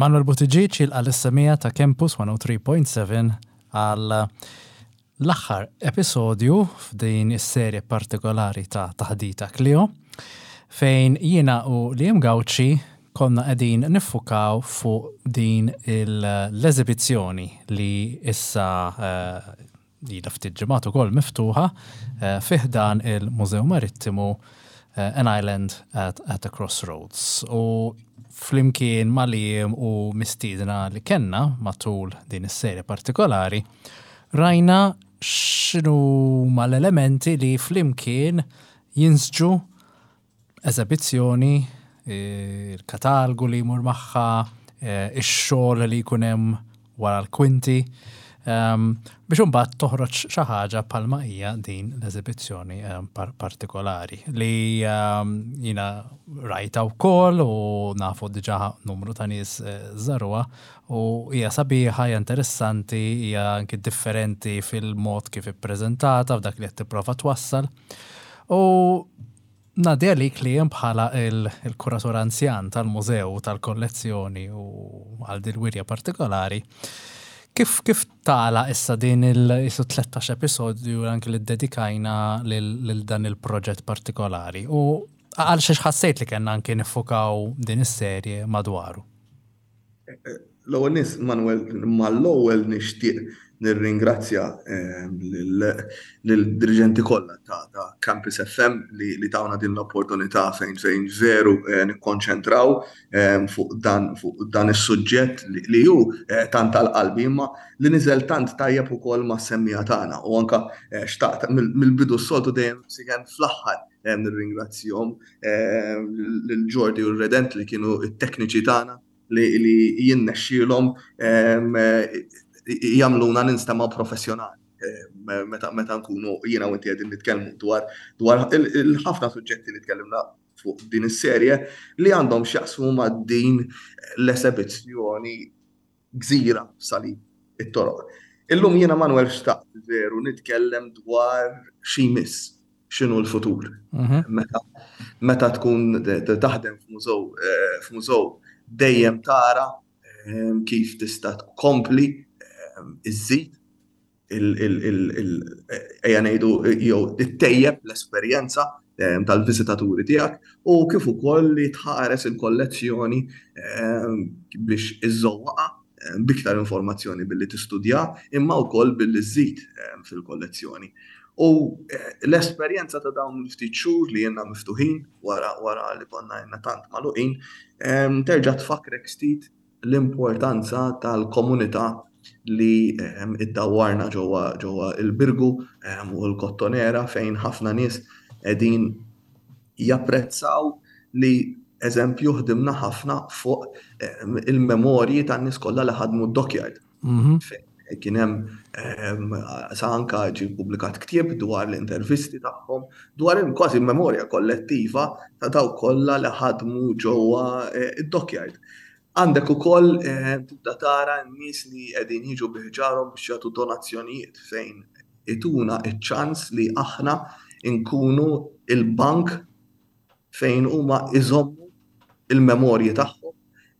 Manuel Buttigieg jilqa' lis-semmiegħa ta' Campus 103.7 għal l-aħħar episodju f'din is-serje partikolari ta' Taħdita Clio fejn jiena u Liam Gauci konna qegħdin niffukaw fuq din l-eżibizzjoni li issa eh, ilha ftit ġimgħat ukoll miftuħa eh, fi ħdan il-Mużew Marittimu eh, An Island at, at a Crossroads. U flimkien ma' Liam u mistiedna li kellna matul din is-serje partikolari, rajna x'inhuma l-elementi li flimkien jinsġu eżebizzjoni, il-katalgu li jmur magħha, ix-xogħol li jkun hemm wara l-kwinti, biex imbagħad toħroġ xi ħaġa bħalma hija din l-eżibizzjoni partikolari li jiena rajta wkoll u nafu diġà numru ta' nies żaruha u hija sabiħa, hija interessanti, hija anki differenti fil-mod kif ippreżentata f'dak li qed tipprova twassal. U ngħaddi għalik li hemm bħala il-kuratur anzjan tal-mużew u tal-kollezzjoni u għal din wirja partikolari. Kif kif tala issa din il-isu 13 episodju anki li dedikajna lil dan il-proġett partikolari u għal xiex ħassejt li kellna anki nifukaw din is-serje madwaru? L-ewwel nies, Manuel, mal-ewwel nixtieq nirringrazzja lill-diriġenti kollha ta' Campus FM li tawna din l-opportunità fejn fejn veru nikkonċentraw fuq dan fuq dan is-suġġett li hu tant għal qalbi imma li niżel tant tajjeb ukoll mas-semmiegħa tagħna u anke xtaqt mill-bidu s-soltu dejjem siken fl-aħħar nirringrazzjahom lil Jordi u r-Redent li kienu t-tekniċi tagħna li jinnexxielhom jagħmluna ninstemgħu professjonali meta meta nkunu jiena u inti qegħdin nitkellmu dwar dwar il-ħafna suġġetti li tkellimna fuq din is-serje li għandhom x'jaqsmu ma' din l-esebizzjoni gżira f'salib it-toroq. Illum jiena Manuel xtaqt veru nitkellem dwar xi jmiss, x'inhu l-futur. Meta meta tkun taħdem f'mużew eh, f'mużew dejjem tara eh, kif tista' tkompli eh, iżżid ejja ngħidu jew ittejjeb l-esperjenza tal-viżitaturi tiegħek u kif ukoll li tħares il-kollezzjoni biex iżżowwaqha b'iktar informazzjoni billi tistudja imma wkoll billi żżid fil-kollezzjoni. U l-esperjenza ta' dawn il-ftit xhur li jenna miftuħin wara wara li konna jenna tant magħluqin terġa' tfakkrek ftit l-importanza tal-komunità li iddawwarna ġewwa ġewwa il-Birgu u l-Kottonera fejn ħafna nies qegħdin japprezzaw li eżempju ħdimna ħafna fuq il-memorji tan-nies kollha li ħadmu d-dockyard. Kien hemm sa anka ġie ppubblikat ktieb dwar l-intervisti tagħhom, dwar kważi memorja kollettiva ta' dawk kollha li ħadmu ġewwa id-dockyard. Għandek ukoll tibda tara n-nies li qegħdin jiġu bi ħġarhom biex jagħtu donazzjonijiet fejn ituna ċ-ċans li aħna nkunu il-bank fejn huma iżommu il-memorji tagħhom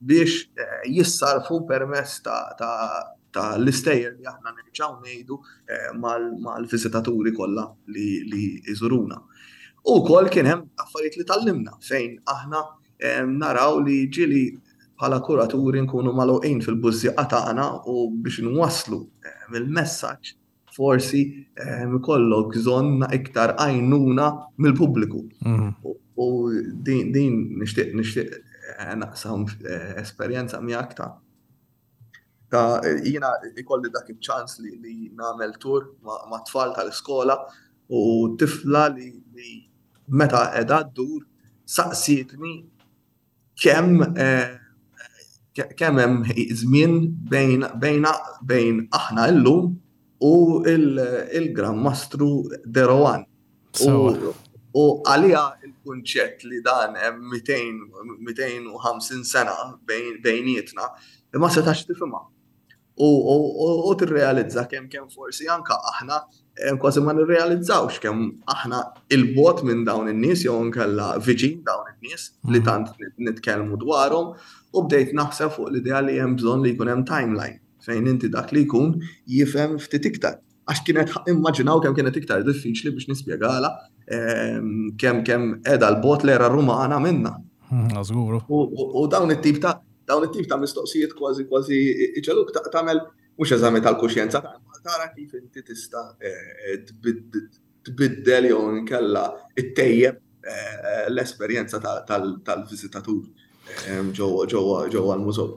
biex eh, jissarfu permezz ta' l-istejjer li aħna nerġgħu ngħidu eh, mal-viżitaturi kollha li jżuruna. U wkoll kien hemm affarijiet li tallimna fejn aħna eh, naraw li ġili bħala kuraturi nkunu magħluqin fil-bużżieqa tagħna u biex nwasslu il-messaġġ forsi ikollok bżonn iktar għajnuna mill-pubbliku. Mhm. U din nixtieq nixtieq eh, naqsam eh, esperjenza miegħek ta' ta' jiena ikolli dak iċ-ċans li, li nagħmel tur ma' tfal tal-iskola u tifla li, li meta qiegħda ddur saqsietni kemm kemm hemm żmien bejn bejna bejn aħna llum u il-Gran Mastru De Rohan. U għalija il-kunċett li dan hemm 250 sena bejnietna ma setax tifhimha. U tirrealizza kemm kemm forsi anka aħna Kważi ma nirrealizzawx kemm aħna il-bot minn dawn in-nies jew nkella viċin dawn in-nies li mhm. tant nitkellmu dwarhom u bdejt naħseb fuq l-idea li hemm bżonn li jkun hemm timeline fejn inti dak li jkun jifhem ftit iktar. Għax kienet immaġinaw kemm kienet iktar diffiċli biex nispjegala ehm, kemm kemm qiegħda l-bot l-era Rumana minna. Mhm, żguru. U dawn it-tip ta' dawn it-tip ta' mistoqsijiet kważi kważi iġeluk tagħmel mhux eżami tal-kuxjenza tara kif inti tista' eh, tbiddel jew inkella ttejjeb eh, l-esperjenza tal-viżitatur eh, ġewwa l-mużew.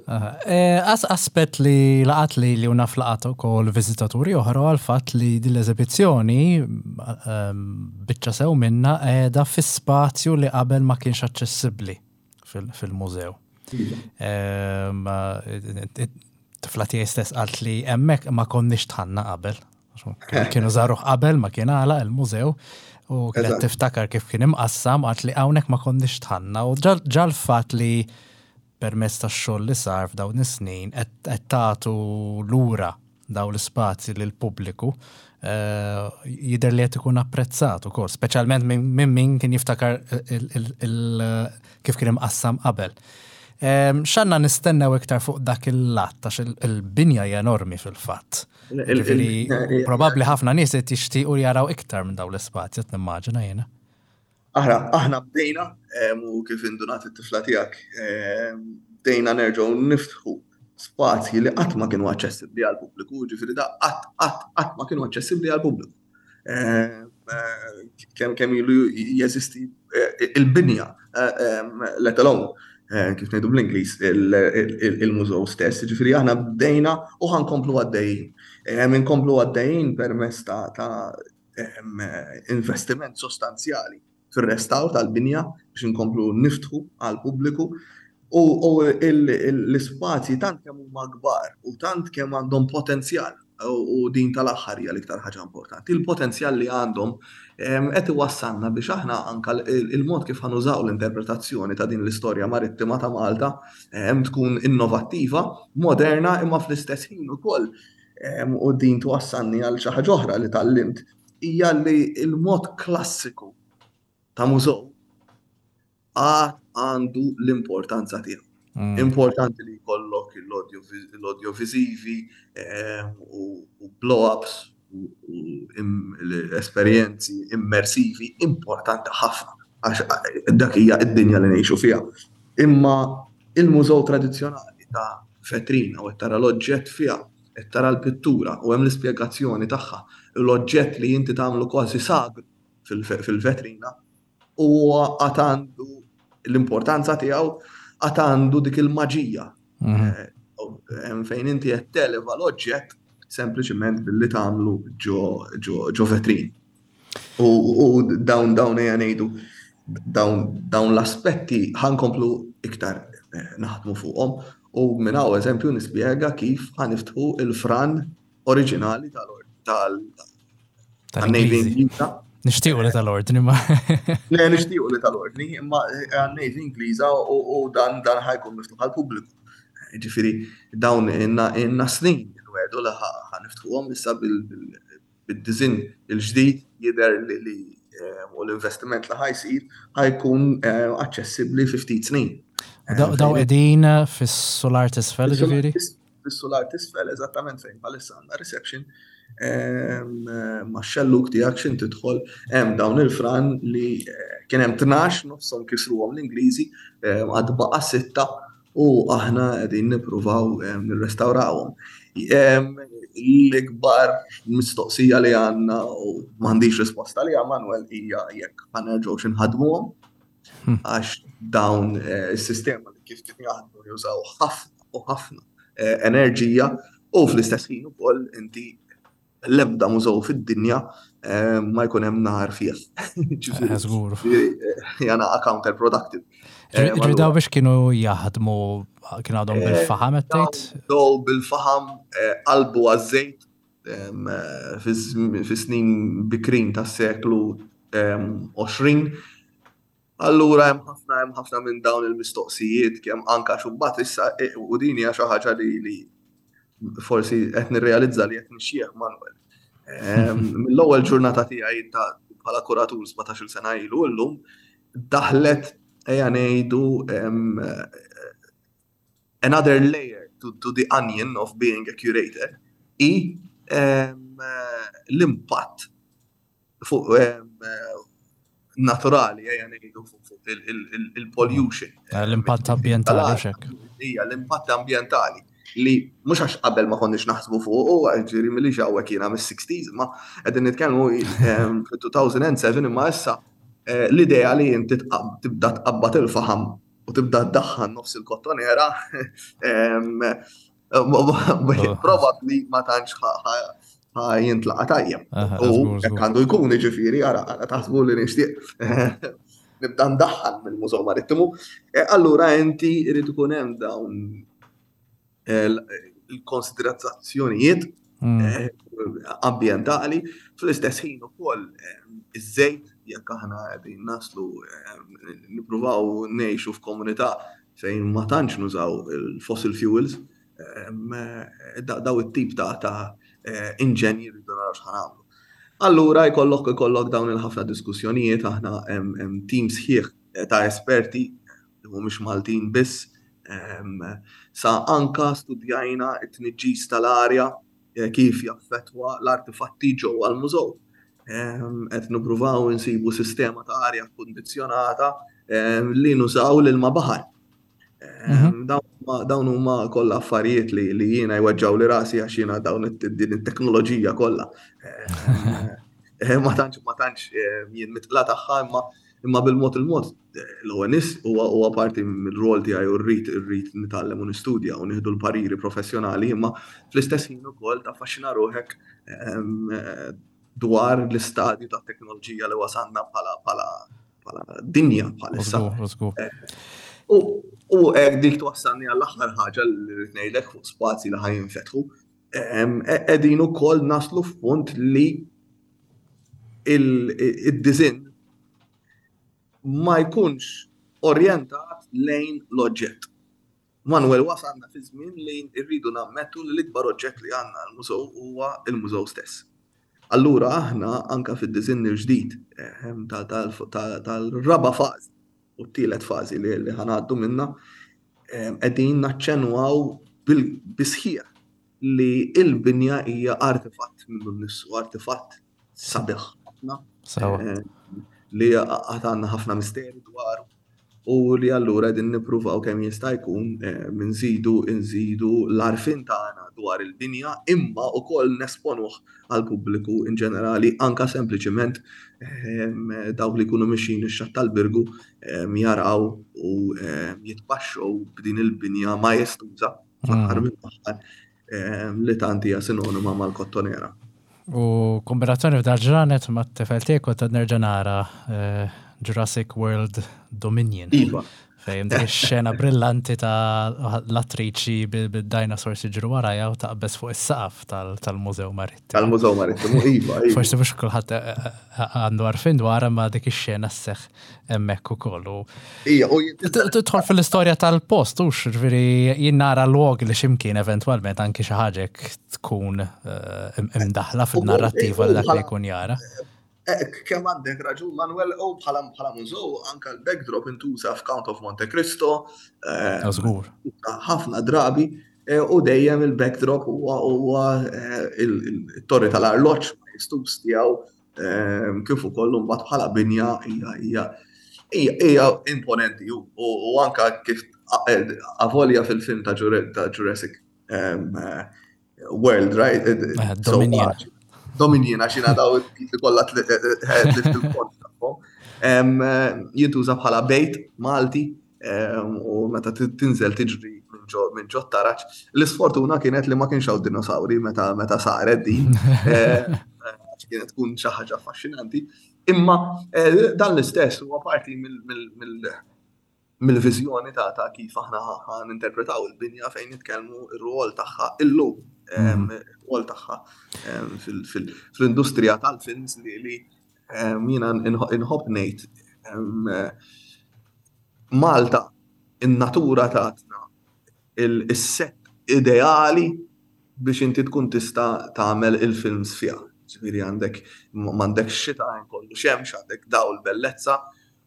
As aspett li laqat li li naf laqat ukoll viżitaturi oħra għal fatt li din l-eżibizzjoni ehm, biċċa sew minna qiegħda fi spazju li qabel ma kienx aċċessibbli fil-mużew. Ehm, Tifla tiegħi stess qalt li hemmhekk ma konniex tħanna qabel. Kienu żaruh qabel ma kien għalaq il-mużew u kienet tiftakar kif kien imqassam qalt li hawnhekk ma konniex tħanna u ġa l-fatt li permezz tax-xogħol li sar f'dawn is-snin qed tagħtu lura dawn l-ispazji lill-pubbliku eh, jidher li qed ikun apprezzat ukoll, speċjalment minn min kien jiftakar kif kien imqassam qabel. Ehm, x'għandna nistennew iktar fuq dak il-lat għax il-binja hija enormi fil-fatt. Ġifieri probabbli ħafna nies qed jixtiequ jaraw iktar minn dawn l-ispazji qed nimmaġina jiena. Aħna aħna bdejna u kif indunat it-tifla tiegħek bdejna nerġgħu niftħu spazji li qatt ma kienu aċċessibbli għall-pubbliku, ġifieri da qatt qatt qatt ma kienu aċċessibbli għall-pubbliku. Kemm kemm ilu jeżisti eh, il-binja, eh, let alone eh, kif ngħidu bl-Ingliż il-mużew stess, ġifieri aħna bdejna u ħankomplu għaddejjin. Inkomplu għaddejjin permezz ta' investiment sostanzjali fir-restawr tal-binja biex inkomplu niftħu għall-pubbliku u l-ispazji tant kemm huma kbar u tant kemm għandhom potenzjal u din tal-aħħar hija l-iktar ħaġa importanti. Il-potenzjal li għandhom qed iwassalna biex aħna anka il-mod kif ħanużaw l-interpretazzjoni ta' din l-istorja marittima ta' Malta tkun innovattiva, moderna imma fl-istess ħin ukoll u din twassalni għal xi ħaġa oħra li tgħallimt, hija li l-mod klassiku ta' mużew għad għandu l-importanza tiegħu. Mm. Importanti li jkollok l-audiovisivi u blow-ups u l-esperjenzi immersivi importanti ħafna għax dak hija id-dinja li ngħixu fiha. Imma il-mużew tradizzjonali ta' vetrina u qed tara l-oġġett fiha, qed tara l-pittura u hemm l-ispjegazzjoni tagħha, l-oġġett li inti tagħmlu kważi sagru fil-vetrina, huwa għad għandu l-importanza tiegħu, għad għandu dik il-maġija. Mhm. Eh, fejn inti qed televa l-oġġett sempliċement billi tagħmlu ġo vetrin. U dawn dawn ejja ngħidu dawn l-aspetti ħankomplu iktar eh, naħdmu fuqhom u minn hawn eżempju nispjega kif ħaniftħu il-fran oriġinali tal tal-Navy Ingliża. Nixtiequ li tal-ordni ma. Le nixtiequ li tal-ordni, imma eh, għan-Navy Ingliża u dan dan ħajkun miftuħ għall-pubbliku. Ġifieri dawn inna snin nwedu li ħaniftħuhom issa bil bid-diżinn il-ġdid jidher li u l-investiment li ħa jsir ħa jkun aċċessibbli fi ftit snin. Daw qegħdin fis-sular t'isfel ġifieri? Fis-sular t'isfel eżattament fejn bħalissa għandna reception ma' xelluk tiegħek x'in tidħol hemm dawn il-fran li eh, kien hemm 12 nofshom kisruhom l-Ingliżi għad baqa' sitta u aħna qegħdin nippruvaw eh, nirrestawrawhom. L-ikbar mistoqsija li għandna u m'għandix risposta li Manuel hija jekk ħanerġgħux inħadmuhom hmm. għax dawn eh, is-sistema li kif kien jaħdmu jużaw ħafna u ħafna eh, enerġija u fl-istess ħin ukoll inti l-ebda mużew fid-dinja eh, ma jkun hemm nar fih. Eh, żgur. Jana counterproductive. Eh, Ġri daw biex kienu jaħdmu kienu għadhom bil-faham qed tgħid? Daw bil-faham qalbu għaż-żejt fis-snin bikrin tas-seklu 20. Allura hemm ħafna hemm ħafna minn dawn il-mistoqsijiet kemm anka xubbat issa e, u din hija xi ħaġa li li forsi qed nirrealizza li qed nixjieħ Manuel. Mill-ewwel ġurnata tiegħi ta' bħala kuratur 17-il sena ilu llum daħlet ejja ngħidu another layer to, to the onion of being a curator i l-impatt fuq naturali, ejja ngħidu fuq il-pollution. Eh, l-impatt ambjentali xek. Ija, l-impatt ambjentali li mhux għax qabel ma konniex naħsbu fuq u ġieri milli hawnhekk jiena mis-60s, ma qegħdin nitkellmu fil-2007 imma issa eh, l-idea li inti tibda tqabbad il-faħam u tibda ddaħħan nofs il-kottonera Probabli ma tantx jintlaqa tajjeb. U hekk għandu jkun ġifieri ara taħsbu li nixtieq nibda ndaħħal mill-Mużew Marittimu. E, allura inti irid ikun hemm dawn eh, il-konsiderazzjonijiet mm. eh, ambjentali fl-istess ħin ukoll eh, iż-żejt jekk aħna qegħdin naslu nippruvaw ngħixu f'komunità fejn ma tantx nużaw il-fossil fuels, daw it-tip ta' ta' eh, inġenji rridu naraw x'ħanamlu. Allura jkollok ikollok dawn il-ħafna diskussjonijiet aħna hemm tim sħiħ ta' esperti li mhumiex Maltin biss sa anka studjajna t-tniġġis tal-arja eh, kif jaffettwa l-artifatti ġewwa l-mużew. Qed nippruvaw insibu sistema ta' arja kkundizzjonata li nużaw l-ilma baħar. Mhm. Dawn huma kollha affarijiet li li jiena jweġġaw li rasi għax jiena dawn din it-teknoloġija kollha. Eh, ma tantx ma tantx jien mitla tagħha imma imma bil-mod il-mod l-ewwel nies huwa huwa parti mill-rol tiegħi u rrid irrid nitgħallem u nistudja u nieħdu l-pariri professjonali imma fl-istess ħin ukoll taffaxxina ruħek dwar l-istadju ta' teknoloġija li wasalna bħala bħala bħala dinja bħalissa. Eh, u u hekk dik twassalni għall-aħħar ħaġa li rrid ngħidlek fuq spazji li ħaj jinfetħu. E, qegħdin ukoll naslu f'punt li il-dizin ma jkunx orjentat lejn l-oġġett. Manuel wasalna fi żmien li rridu nammettu li l-ikbar oġġett li għandna l-mużew huwa l-mużew stess. Allura aħna anka fid-diżinn il-ġdid ehm, tal-raba' fażi u t-tielet fażi li ħanaddu minna ehm, qegħdin naċċenwaw bil-bisħieħ li il-binja hija artifatt minnu nnifsu, artifatt sabiħ ħafna. Eh, li għad għandna ħafna misteri dwaru u li allura qegħdin nippruvaw kemm jista' jkun eh, nżidu nżidu l-għarfien tagħna dwar il-binja imma wkoll nesponuh għal pubbliku in ġenerali anka sempliċiment ehm, dawk li jkunu mixin ix-xatt tal-Birgu ehm, jaraw u ehm, jitpaxxew b'din il-binja majestuża fl-aħħar mm. mill-aħħar li tant hija sinonima mal-kottonera. U kombinazzjoni f'dal ġranet ma' t-tifel tiegħek kont nerġa' nara eh, Jurassic World Dominion. Iva. Fejn dik ix-xena brillanti ta' l-attriċi bil-dinosaurs jiġru warajha u taqbeż fuq is-saqaf tal-Mużew Marittimu. Tal-Mużew Marittimu, iva. iva. Forsi mhux kulħadd eh, eh, għandu għarfien dwar ma dik ix-xena sseħħ hemmhekk ukoll. Ija, u Tidħol fil-istorja tal-post, hux, ġifieri jien nara log li x'imkien eventwalment anki xi ħaġa tkun eh, imdaħla fil-narrattiva li dak li jkun jara. Eh, kemm għandek raġun Manuel, u bħala bħala mużew anka l-backdrop intuża f'Count of Monte Cristo. Eh, Żgur. Ħafna drabi u dejjem il-backdrop huwa il-torri tal-arloġġ ma jistus tiegħu Ehm, kif ukoll mbagħad bħala binja hija hija hija imponenti u anka kif eh, avolja fil-film ta' Jurassic ehm, eh, World, right? Eh, Dominion. Dominion, għax jina daw it-titli kollha tlift il-kont tagħhom. Ehm, jintuża bħala bejt Malti u meta tinżel tiġri minn ġo taraġ. L-isfortuna kienet li ma kienx hawn dinosauri meta meta saret din. Eh, kienet tkun xi ħaġa affaxxinanti. Imma eh, dan l-istess huwa parti mill-viżjoni ta' ta' kif aħna ninterpretaw il-binja fejn nitkellmu r-rwol tagħha illum, mhm. ir-rwol tagħha fl-industrija tal-films li jiena inħobb ngħid Malta in-natura tatna il-set ideali biex inti tkun tista' tagħmel il-films fiha. Ġifieri għandek m'għandekx xita, kollu xemx, għandek dawl bellezza.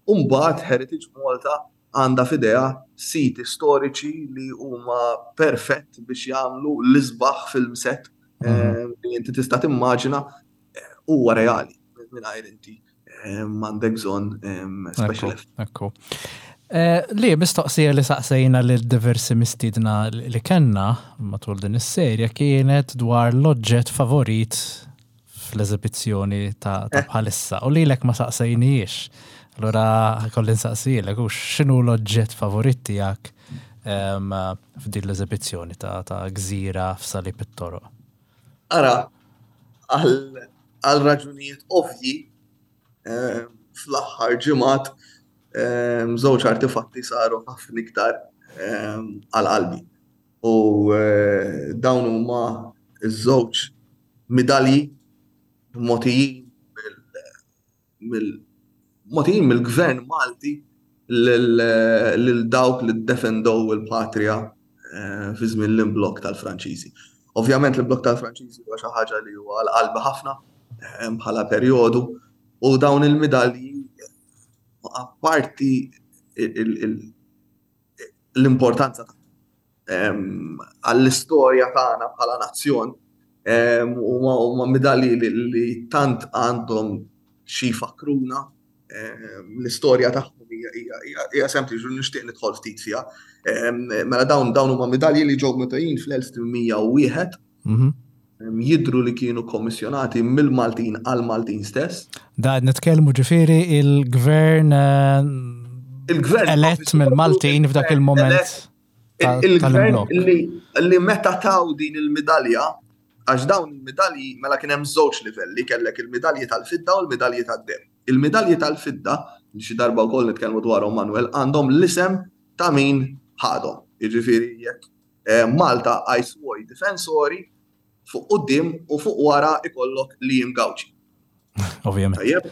U mbagħad Heritage Malta għandha f'idejha siti storiċi li huma perfett biex jagħmlu l-isbaħ film set mhm. li inti tista' timmaġina eh, huwa reali mingħajr inti eh, m'għandek bżonn eh, special Ekku. Li mistoqsija li saqsejna lil diversi mistiedna li kellna matul din is-serja kienet dwar l-oġġett favorit fl-eżibizzjoni ta' eh. bħalissa u lilek ma saqsejnijiex. Allura ħakolli nsaqsijilek u x'inhu l-oġġett favorit tiegħek f'din l-eżibizzjoni ta' gżira f'Salib it-Toroq? Ara, għal raġunijiet ovvji fl-aħħar ġimgħat żewġ artifatti saru ħafna iktar għal qalbi. U eh, dawn huma ż-żewġ midalji mogħtijin mill mogħtijin mill-Gvern Malti lil dawk li ddefendow il-patrija eh, fi żmien l-imblokk tal-Franċiżi. Ovvjament l-imblokk tal-Franċiżi huwa xi ħaġa li huwa għal qalbi ħafna eh, bħala perjodu u dawn il-midalji apparti l-importanza għall-istorja tagħna bħala nazzjon huma midalji li tant għandhom xi jfakkruna l-istorja tagħhom hija sempliċi u nixtieq nidħol ftit fiha. Mela dawn dawn huma midalji li ġew mutejjin fl-1801 mhm. Jidhru li kienu kommissjonati mill-Maltin għall-Maltin stess. Da qed nitkellmu ġifieri il-gvern eh, il-gvern elett mill-Maltin f'dak il-moment. Il-gvern li meta taw din il-midalja, għax dawn il-midalji mela kien hemm żewġ livelli, kellek il-midalji tal-fidda u l-midalji tad-deheb. Il-midalji tal-fidda, li xi darba wkoll nitkellmu dwarhom Manuel, għandhom l-isem ta' min ħadhom. Jiġifieri jekk eh, Malta ai suoi difensori fuq quddiem u fuq wara ikollok Liam Gauci. Ovvjament. Tajjeb,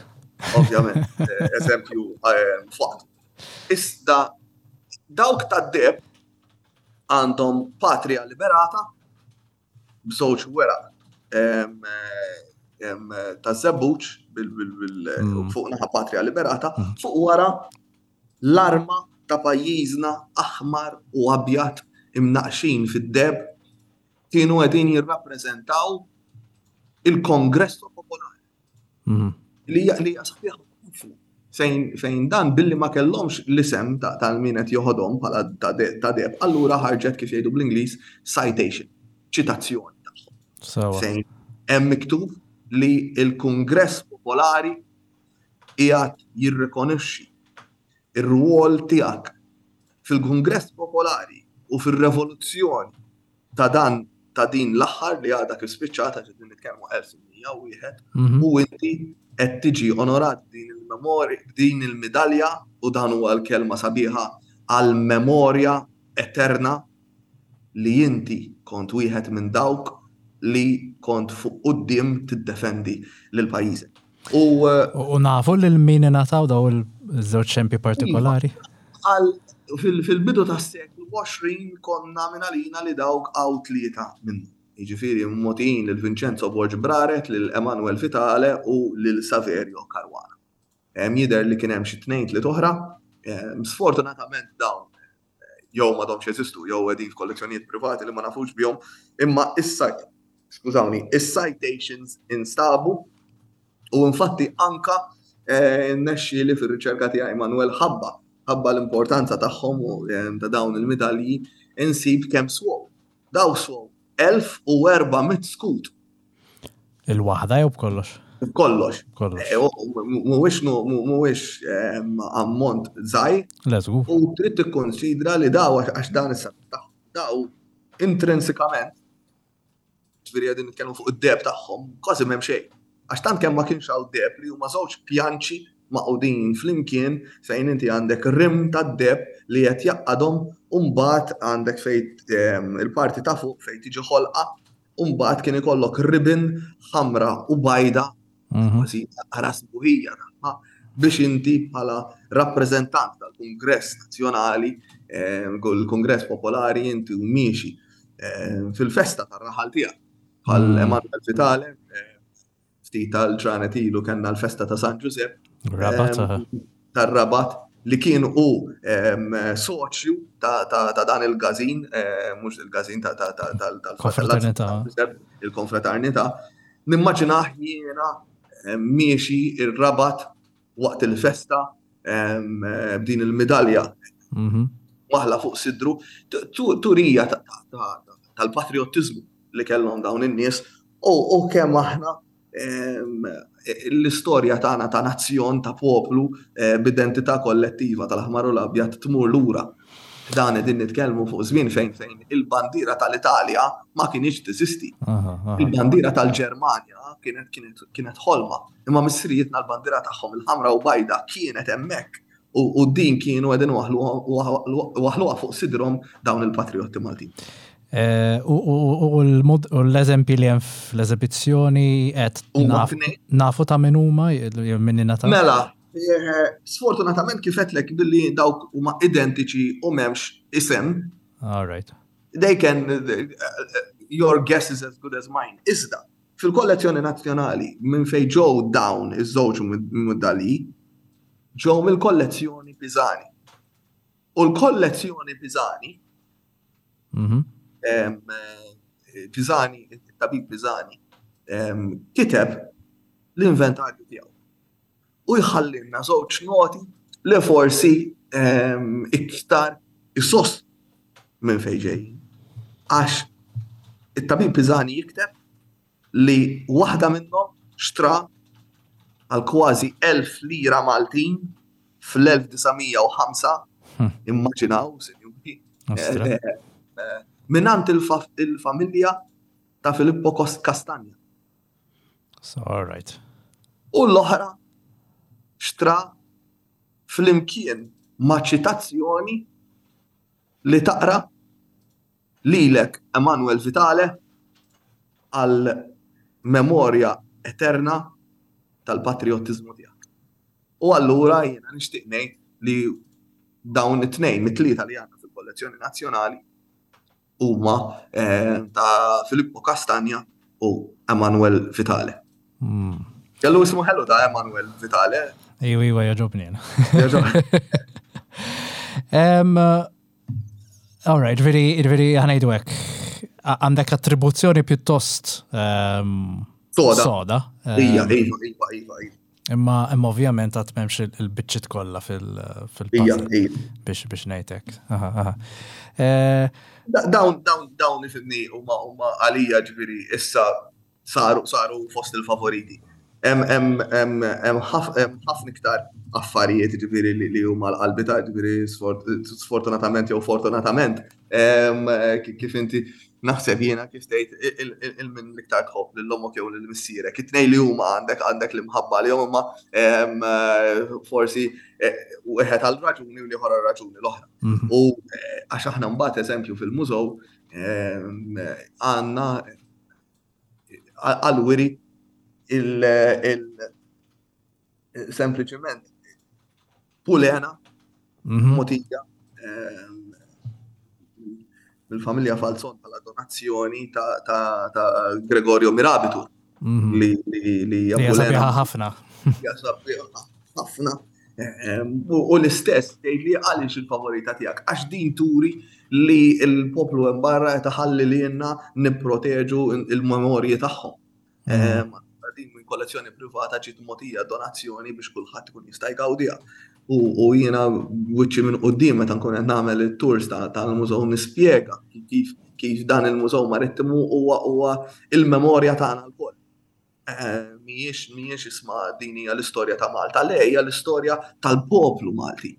ovvjament, eh, eżempju eh, fuq. Iżda dawk tad-deb għandhom patria liberata b'żewġ weraq ta' żebbuġ mm. fuq naħa patria liberata, mm. fuq wara L-arma ta' pajjiżna aħmar u abjad imnaqqxin fid-deheb kienu qegħdin jirrappreżentaw il-Congresso Popolare. Mhm. Li hija li hija sabiħa ħafna. Fejn, fejn dan billi ma kellhomx l-isem tal-min qed joħodhom bħala ta' deheb, allura ħarġet kif jgħidu bl-Ingliż citation, ċitazzjoni tagħhom. Fejn hemm miktub li l-Kungress Popolari qiegħed jirrikonoxxi r-rwol tiegħek fil-Kungress Popolari u fir-revoluzzjoni ta' dan ta' din l-aħħar li għadha kif spiċċat għax qegħdin nitkellmu 1801 mhm. u inti qed tiġi onorat din il-memorja din il-midalja u dan huwa l-kelma sabiħa għal memorja eterna li inti kont wieħed minn dawk li kont fuq quddiem tiddefendi lil pajjiżek. U, u nafu lil min ingħataw daw il-żewġ xempi partikolari? Għal fil-bidu tas-seklu 20 konna minn għalina li dawk għaw tlieta minnu. Jiġifieri mogħtijin lil Vincenzo Borg Braret, lil Emanuel Vitale u lil Saverio Caruana. Jidher li kien hemm xi tnejn tliet oħra. Sfortunatament dawn jew m'għadhomx jeżistu jew qegħdin f'kollezzjonijiet privati li ma nafux bihom, imma issa skużawni, is-citations instabu u infatti anka eh, nexxi li fir-riċerka tiegħi Manuel ħabba ħabba l-importanza tagħhom u eh, ta' dawn il-midalji insib kemm swow. Daw swow 1400 skut. Il-waħda jew b'kollox? B'kollox. Eh, mhuwiex mhuwiex ehm, ammont żgħir. U trid tikkonsidra li daw għax dan issa daw intrinsikament ġifieri qegħdin nitkellmu fuq id-deb tagħhom, kważi m'hemm xejn. Għax tant kemm ma kienx hawn deb li huma żewġ pjanċi maqudin flimkien fejn inti għandek rim tad-deb li qed jaqadhom u mbagħad għandek fejn ehm, il-parti ta' fuq fejn tiġi ħolqa u mbagħad kien ikollok ribbon ħamra u bajda, mhm. kważi ara sbuħija tagħha, biex inti bħala rappreżentant tal-Kungress Nazzjonali, eh, il-Kungress Popolari, inti u miexi eh, fil-festa tar-raħal tiegħek bħal mhm. Emanuel Vitale, eh, ftit tal-ġranet ilu kellna l-festa ta' San Ġużepp. Rabat. Tar-Rabat li kien hu soċju ta' dan il-gazin, mhux il-gazin tal-konfraternità. Il-konfraternità. Nimmaġinah jiena miexi ir-Rabat waqt il-festa b'din il-midalja mhm. waħla fuq sidru, turija tal-patriottiżmu li kellhom dawn in-nies u kemm aħna l-istorja tagħna ta' nazzjon ta' poplu eh, b'identità kollettiva tal-aħmar u l-abjad tmur lura. Dan qegħdin nitkellmu fuq żmien fejn fejn il-bandiera tal-Italja ma kienx teżisti. Il-bandiera tal-Ġermanja kienet kienet kienet ħolma. Imma missirijietna l-bandiera tagħhom il-ħamra u bajda kienet hemmhekk u din kienu qegħdin waħluha fuq sidrhom dawn il-patrijotti Maltin. Eh, u l-eżempji li hemm fl-eżibizzjoni qed nafu ta' min huma minn ta' Mela, eh, sfortunatament kif qedlek billi dawk huma identiċi u m'hemmx isem. All right. They can your guess is as good as mine. Iżda, Fil-kollezzjoni nazzjonali minn fejn ġew dawn iż-żewġ mudalji ġew mill-kollezzjoni Pisani. U l-kollezzjoni Pisani, mhm. Pisani, it-tabib Pisani, kiteb l-inventarju tiegħu. U jħallinna żewġ noti li forsi iktar isos minn fejn ġejjin. Għax it-tabib Pisani jikteb li waħda minnhom xtra għal kważi 1000 lira Maltin fl-1905, hmm. immaġinaw, sinjuri, eh, eh, eh, minant il-familja ta' Filippo Castagna. So, all right. U l-oħra xtra flimkien ma' ċitazzjoni li taqra lilek Emanuel Vitale għal memorja eterna tal-patriottiżmu tiegħek. U allura jiena nixtieq ngħid li dawn it-tnejn mit-tlieta li għandna fil-kollezzjoni nazzjonali huma eh, ta' Filippo Castagna u Emanuel Vitale. Hmm. Kellu ismu ħelu ta' Emanuel Vitale. Ejwa, ejwa, jaġobni. All right, veri, veri ħanajdu hekk. Għandek attribuzzjoni pjuttost ehm, soda. Soda. Ija, ehm, iva, iva, iva, iva. Imma imma ovvjament għat memx il-biċċiet kollha fil-puzzle biex biex ngħidlek. Eh, dawn dawn dawn ifimni huma huma għalija ġifieri issa saru saru fost il-favoriti. Hemm ħafna iktar affarijiet ġifieri li huma l-qalbi ta' ġifieri sfortunatament jew fortunatament kif inti naħseb jiena kif tgħid il-min l-iktar tħobb lil ommok jew lil missierek. It-tnejn li huma għandek għandek l-imħabba li huma forsi eh, wieħed għal raġuni u l-ieħor għal raġuni l-oħra. Mhm. U eh, għax aħna mbagħad eżempju fil-mużew għandna għal-wiri il sempliċement pulena mhm. motija ehm, mill-familja Falzon bħala donazzjoni ta' Gregorio Mirabitu mhm. li li hija ħafna. ħafna. Ehm, u l-istess tgħid li għaliex il-favorita tiegħek għax din turi li l-poplu hemm barra qed iħalli lilna nipproteġu il-memorji tagħhom. Mm. Din minn kollezzjoni privata ġiet mogħtija donazzjoni biex kulħadd ikun jista' jgawdiha. U jiena wiċċi minn quddiem meta nkun qed nagħmel it-tours tal-mużew nispjega kif kif dan il-mużew marittimu huwa huwa il-memorja tagħna lkoll. Eh, mhijiex mhijiex isma' din hija l-istorja ta' Malta, le hija l-istorja tal-poplu Malti.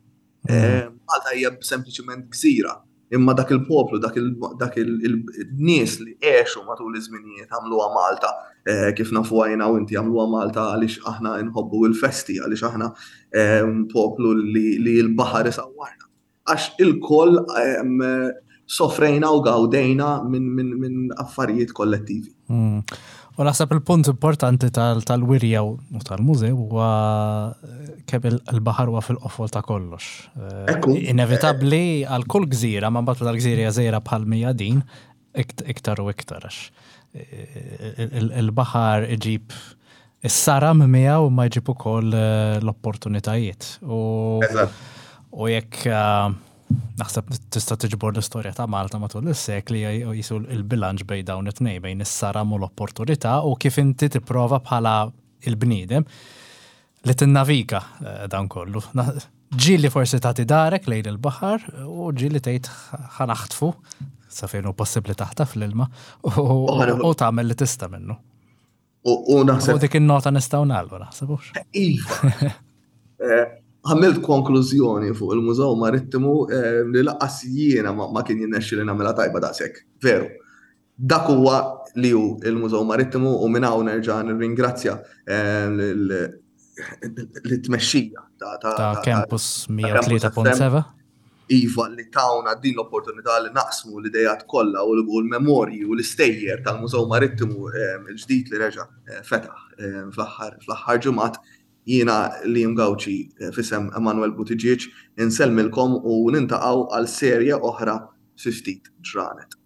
Mm. Eh, Malta hija sempliċement gżira, imma dak il-poplu, dak il-nies li għexu matul iż-żminijiet għamluha Malta, eh, kif nafu għajna u inti għamluha Malta għaliex aħna nħobbu l-festi, għaliex aħna poplu li l-baħar isawwarna. Għax ilkoll sofrejna u gawdejna minn affarijiet kollettivi. Hmm. U naħseb il-punt importanti tal-wirja u tal-mużew huwa kemm il-baħar huwa fil-qofol ta' kollox. Eh, inevitabbli għal kull gżira, ma mbagħad tal-gżira hija żgħira bħal mija din, iktar u iktar għax eh, il-baħar iġib Is-saram miegħu ma jġib ukoll eh, l-opportunitajiet. U, u jekk eh, naħseb tista' tiġbor l-istorja ta' Malta matul is-sekli jisu l-bilanċ bejn dawn it-tnejn bejn is-saram u l-opportunità u kif inti tipprova bħala il-bniedem li tinnaviga eh, dan kollu. Ġieli forsi tagħti darek lejn il-baħar u ġieli tgħid ħanaħtfu sa fejn hu possibbli taħtaf l-ilma u tagħmel li tista' minnu. U naħseb. U dik in-nota nistgħu nagħlqu naħseb hux. Iva. Eh, għamilt konklużjoni fuq il-Mużew Marittimu eh, li laqas jiena ma kien jinnexxi li nagħmilha tajba daqshekk. Veru. Dak huwa li hu il-Mużew Marittimu u minn hawn nerġa' nirringrazzja eh, l-tmexxija ta' Campus 103.7. Iva li tawna din l-opportunità li naqsmu l-idejat kollha u l-memorji u l-istejjer tal-Mużew Marittimu il-ġdid li reġa' eh, fetaħ eh, fl-aħħar ġimgħat jiena Liam Gauci eh, f'isem Emanuel Buttigieg insellmilkom u nintaqgħu għal serje oħra fi ftit ġranet.